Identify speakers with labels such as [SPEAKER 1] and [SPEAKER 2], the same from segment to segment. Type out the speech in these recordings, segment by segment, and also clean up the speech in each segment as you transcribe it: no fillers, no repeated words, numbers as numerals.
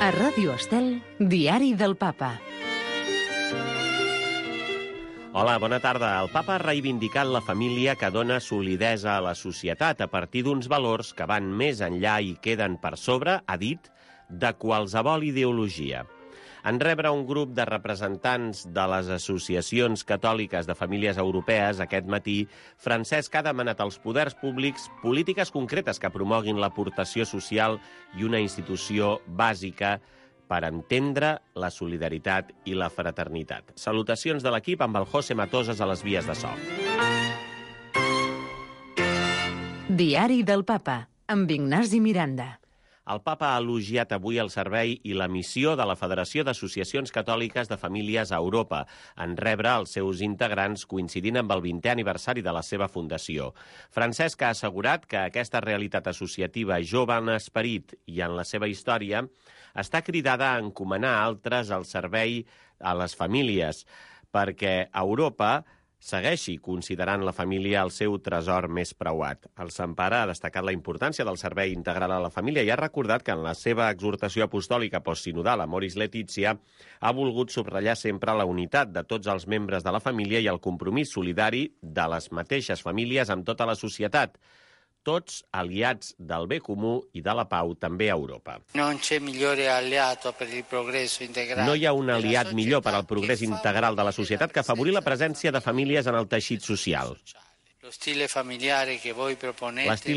[SPEAKER 1] A Ràdio Estel, Diari del Papa.
[SPEAKER 2] Hola, bona tarda. El papa ha reivindicat la família que dona solidesa a la societat a partir d'uns valors que van més enllà i queden per sobre, ha dit, de qualsevol ideologia. En rebre un grup de representants de les associacions catòliques de famílies europees aquest matí, Francesc ha demanat als poders públics polítiques concretes que promoguin l'aportació social i una institució bàsica per entendre la solidaritat i la fraternitat. Salutacions de l'equip amb el José Matoses a les vies de so.
[SPEAKER 1] Diari del Papa, amb Ignasi Miranda.
[SPEAKER 2] El papa ha elogiat avui el servei i la missió de la Federació d'Associacions Catòliques de Famílies a Europa en rebre els seus integrants coincidint amb el 20è aniversari de la seva fundació. Francesc ha assegurat que aquesta realitat associativa jove en esperit i en la seva història està cridada a encomanar altres al servei a les famílies, perquè Europa segueixi considerant la família el seu tresor més preuat. El Sant Pare ha destacat la importància del servei integral a la família i ha recordat que en la seva exhortació apostòlica postsinodal Amoris Laetitia ha volgut subratllar sempre la unitat de tots els membres de la família i el compromís solidari de les mateixes famílies amb tota la societat, tots aliats del bé comú i de la pau també a Europa. No hi ha un aliat millor per al progrés integral de la societat que afavorir la presència de famílies en el teixit social. L'estil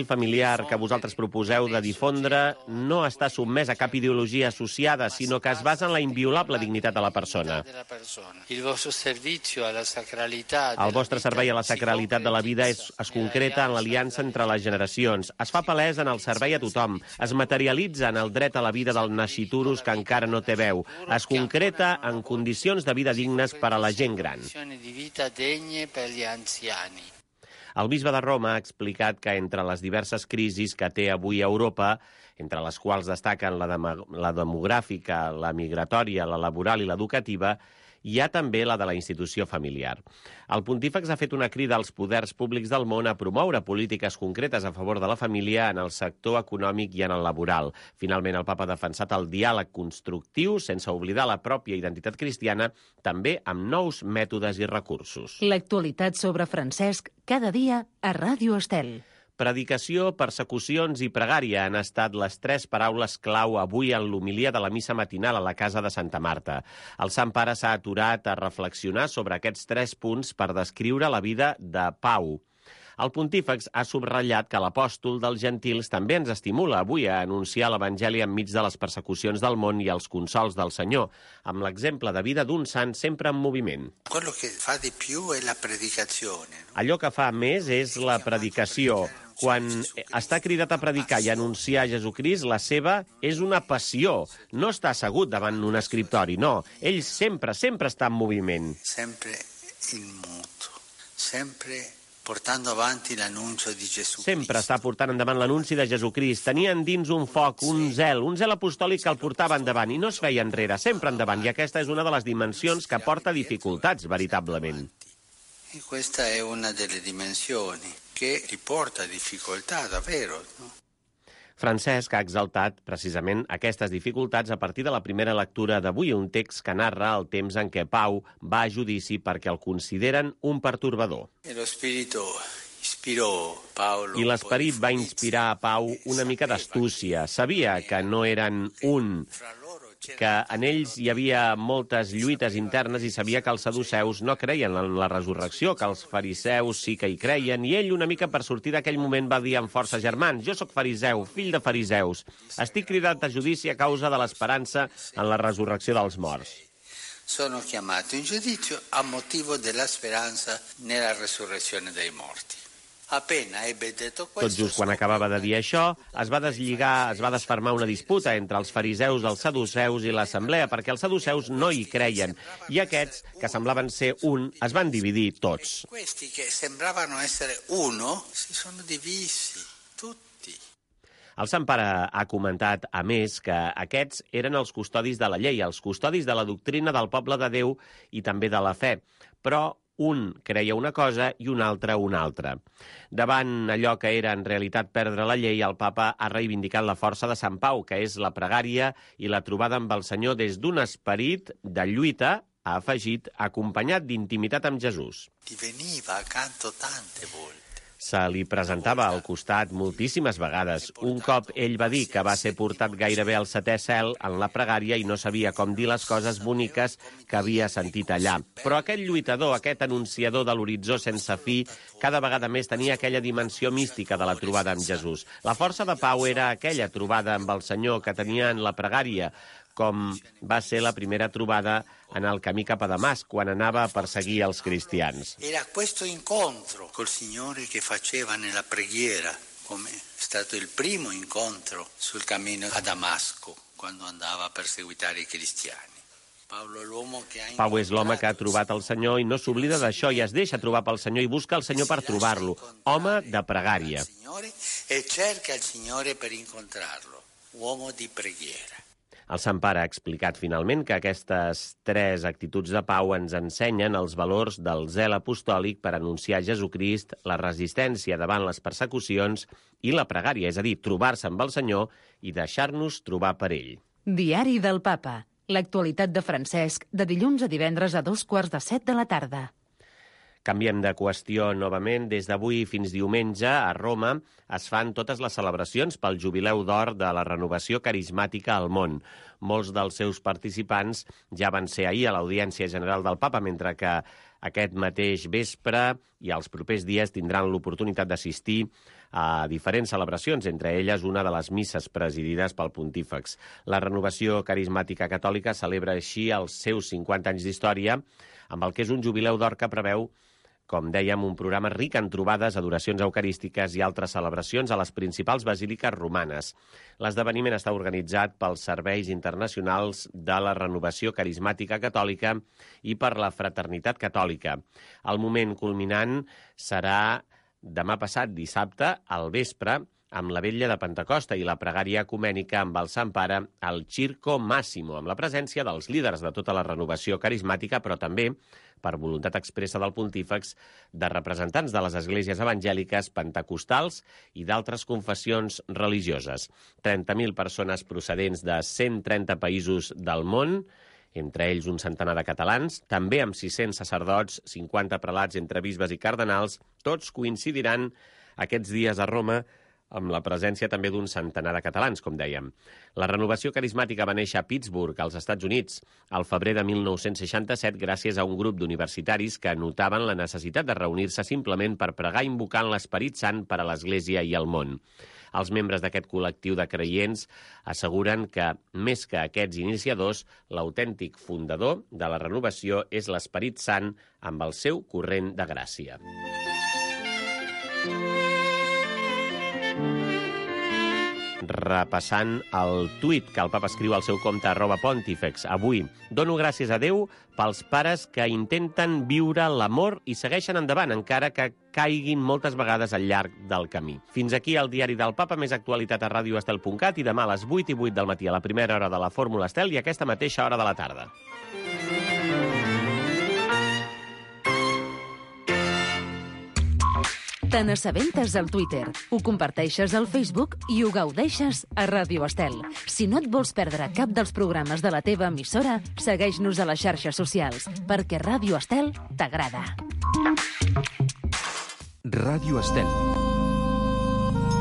[SPEAKER 2] familiar que vosaltres proposeu de difondre no està sotmès a cap ideologia associada, sinó que es basa en la inviolable dignitat de la persona. El vostre servei a la sacralitat de la vida es concreta en l'aliança entre les generacions, es fa palès en el servei a tothom, es materialitza en el dret a la vida del nasciturus que encara no té veu, es concreta en condicions de vida dignes per a la gent gran. El bisbe de Roma ha explicat que entre les diverses crisis que té avui Europa, entre les quals destaquen la demogràfica, la migratòria, la laboral i l'educativa, hi ha també la de la institució familiar. El pontífex ha fet una crida als poders públics del món a promoure polítiques concretes a favor de la família en el sector econòmic i en el laboral. Finalment, el papa ha defensat el diàleg constructiu sense oblidar la pròpia identitat cristiana, també amb nous mètodes i recursos.
[SPEAKER 1] L'actualitat sobre Francesc cada dia a Ràdio Estel.
[SPEAKER 2] Predicació, persecucions i pregària han estat les tres paraules clau avui en l'homilia de la missa matinal a la casa de Santa Marta. El Sant Pare s'ha aturat a reflexionar sobre aquests tres punts per descriure la vida de Pau. El pontífex ha subratllat que l'apòstol dels gentils també ens estimula avui a anunciar l'Evangeli enmig de les persecucions del món i els consols del Senyor, amb l'exemple de vida d'un sant sempre en moviment. Allò que fa més és la predicació. Quan està cridat a predicar i a anunciar Jesucrist, la seva és una passió. No està assegut davant un escriptori, no. Ell sempre està en moviment.
[SPEAKER 3] Sempre in moto, sempre portando avanti l'annuncio di Gesù.
[SPEAKER 2] Sempre està portant endavant l'anunci de Jesucrist. Tenien dins un foc, un zel apostòlic que el portava endavant i no es feia enrere, sempre endavant. I aquesta és una de les dimensions que porta dificultats, veritablement.
[SPEAKER 3] E questa è una delle dimensioni che riporta difficoltà, davvero, no?
[SPEAKER 2] Francesc ha exaltat precisament aquestes dificultats a partir de la primera lectura d'avui, un text que narra el temps en què Pau va a judici perquè el consideren un pertorbador. I l'esperit va inspirar a Pau una mica d'astúcia. Sabia que no eren un, que en ells hi havia moltes lluites internes i sabia que els saduceus no creien en la resurrecció, que els fariseus sí que hi creien, i ell una mica per sortir d'aquell moment va dir amb força: germans, jo sóc fariseu, fill de fariseus. Estic cridat a judici a causa de l'esperança en la resurrecció dels morts.
[SPEAKER 3] Sono chiamato in giudizio a motivo della speranza nella resurrezione dei morti.
[SPEAKER 2] Tot just quan acabava de dir això, es va desfermar una disputa entre els fariseus, els saduceus i l'assemblea, perquè els saduceus no hi creien, i aquests, que semblaven ser un, es van dividir tots.
[SPEAKER 3] Questi che sembravano essere uno, si sono divisi, tutti.
[SPEAKER 2] El Sant Pare ha comentat, a més, que aquests eren els custodis de la llei, els custodis de la doctrina del poble de Déu i també de la fe, però Un creia una cosa i un altre una altra. Davant allò que era en realitat perdre la llei, el papa ha reivindicat la força de Sant Pau, que és la pregària i la trobada amb el Senyor des d'un esperit de lluita, ha afegit, acompanyat d'intimitat amb Jesús.
[SPEAKER 3] Veniva accanto tante volte.
[SPEAKER 2] Se li presentava al costat moltíssimes vegades. Un cop ell va dir que va ser portat gairebé al 7è cel en la pregària i no sabia com dir les coses boniques que havia sentit allà. Però aquest lluitador, aquest anunciador de l'horitzó sense fi, cada vegada més tenia aquella dimensió mística de la trobada amb Jesús. La força de Pau era aquella trobada amb el Senyor que tenia en la pregària, com va ser la primera trobada en el camí cap a Damasc, quan anava a perseguir els cristians.
[SPEAKER 3] Era questo incontro col Signore che faceva nella preghiera, come è stato il primo incontro sul cammino a Damasco, quando andava a perseguitare i cristiani.
[SPEAKER 2] Pau és l'home que ha trobat el Senyor i no s'oblida d'això i es deixa trobar pel Senyor i busca el Senyor per trobar-lo. Home de pregària.
[SPEAKER 3] E cerca il Signore per incontrarlo, uomo di preghiera.
[SPEAKER 2] El Sant Pare ha explicat finalment que aquestes 3 actituds de Pau ens ensenyen els valors del zel apostòlic per anunciar Jesucrist, la resistència davant les persecucions i la pregària, és a dir, trobar-se amb el Senyor i deixar-nos trobar per ell.
[SPEAKER 1] Diari del Papa. L'actualitat de Francesc, de dilluns a divendres a 6:45 de la tarda.
[SPEAKER 2] Canviem de qüestió novament. Des d'avui fins diumenge, a Roma, es fan totes les celebracions pel Jubileu d'Or de la renovació carismàtica al món. Molts dels seus participants ja van ser ahir a l'Audiència General del Papa, mentre que aquest mateix vespre i els propers dies tindran l'oportunitat d'assistir a diferents celebracions, entre elles una de les misses presidides pel pontífex. La renovació carismàtica catòlica celebra així els seus 50 anys d'història, amb el que és un Jubileu d'Or que preveu, com dèiem, un programa ric en trobades, adoracions eucarístiques i altres celebracions a les principals basíliques romanes. L'esdeveniment està organitzat pels Serveis Internacionals de la Renovació Carismàtica Catòlica i per la Fraternitat Catòlica. El moment culminant serà demà passat, dissabte, al vespre, amb la vetlla de Pentecosta i la pregària ecumènica amb el Sant Pare al Circo Massimo, amb la presència dels líders de tota la renovació carismàtica, però també, per voluntat expressa del pontífex, de representants de les esglésies evangèliques, pentecostals i d'altres confessions religioses. 30.000 persones procedents de 130 països del món, entre ells un centenar de catalans, també amb 600 sacerdots, 50 prelats entre bisbes i cardenals, tots coincidiran aquests dies a Roma amb la presència també d'un centenar de catalans, com dèiem. La renovació carismàtica va néixer a Pittsburgh, als Estats Units, al febrer de 1967, gràcies a un grup d'universitaris que notaven la necessitat de reunir-se simplement per pregar invocant l'Esperit Sant per a l'Església i el món. Els membres d'aquest col·lectiu de creients asseguren que, més que aquests iniciadors, l'autèntic fundador de la renovació és l'Esperit Sant amb el seu corrent de gràcia. Repassant el tuit que el papa escriu al seu compte @pontifex. Avui, dono gràcies a Déu pels pares que intenten viure l'amor i segueixen endavant, encara que caiguin moltes vegades al llarg del camí. Fins aquí el diari del Papa, més actualitat a radioestel.cat i demà a les 8:08 del matí a la primera hora de la Fórmula Estel i aquesta mateixa hora de la tarda.
[SPEAKER 1] Te n'assabentes al Twitter, ho comparteixes al Facebook i ho gaudeixes a Ràdio Estel. Si no et vols perdre cap dels programes de la teva emissora, segueix-nos a les xarxes socials, perquè Ràdio Estel t'agrada.
[SPEAKER 4] Ràdio Estel.